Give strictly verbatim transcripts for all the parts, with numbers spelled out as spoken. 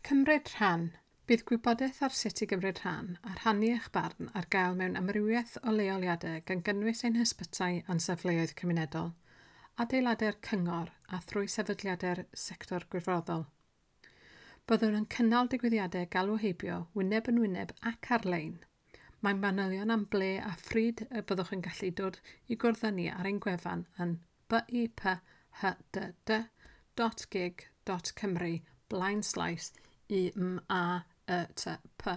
Cymryd rhan. Bydd gwybodaeth ar sut i gymryd rhan a rhannu eich barn ar gael mewn amrywiaeth o leoliadau gan gynnwys ein hysbytai a'n safleoedd cymunedol, adeiladau'r cyngor a thrwy sefydliadau'r sector gwirfoddol. Byddwn yn cynnal digwyddiadau galw heibio wyneb yn wyneb ac ar-lein. Mae manylion am ble a phryd y byddwch yn gallu dod i gwrdd â ni ar ein gwefan yn b i p h d d dot gig dot cymru blaenslaes U M A Y T P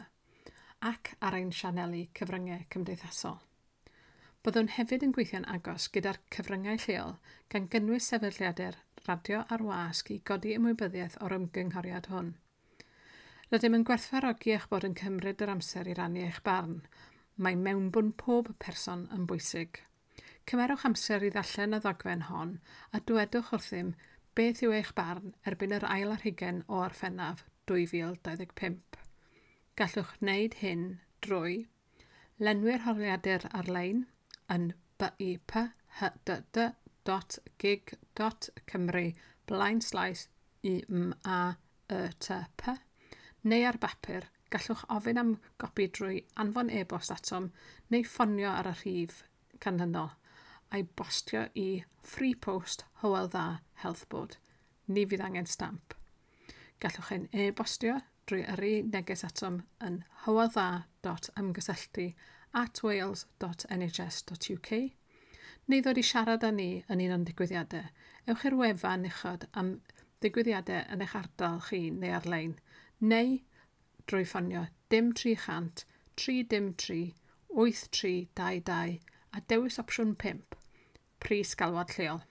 ac ar ein sianeli cyfryngau cymdeithasol. Byddwn hefyd yn gweithio'n agos gyda'r cyfryngau lleol gan gynnwys sefydliadau'r radio a'r wasg i godi ymwybyddiaeth o'r ymgynghoriad hwn. Rydym yn gwerthfawrogi eich bod yn cymryd yr amser i rannu eich barn. Mae mewnbwn pob person yn bwysig. Cymerwch amser i ddarllen y ddogfen hon a dywedwch wrthym beth yw eich barn erbyn yr ail ar hugain o Orffennaf dwy fil dau ddeg pump. Gallwch wneud hyn drwy lenwi'r holiadur ar-lein yn b i p h d d dot gig dot cymru blaenslaes U M A Y T P neu ar bapur, gallwch ofyn am gopi drwy anfon e-bost atom neu ffonio ar y rhif canlynol a'i bostio i Free Post Hywel Dda Health Board. Ni fydd angen stamp. Gallwch ein e-bostio drwy yrru neges atom yn hyweldda dot ymgysylltu at wales dot N H S dot U K neu ddod i siarad â ni yn un o'n digwyddiadau. Ewch i'r wefan uchod am ddigwyddiadau yn eich ardal chi neu ar-lein, neu drwy ffonio dim tri chant tri dim tri wyth tri dau dau a dewis opsiwn pump, pris galwad lleol.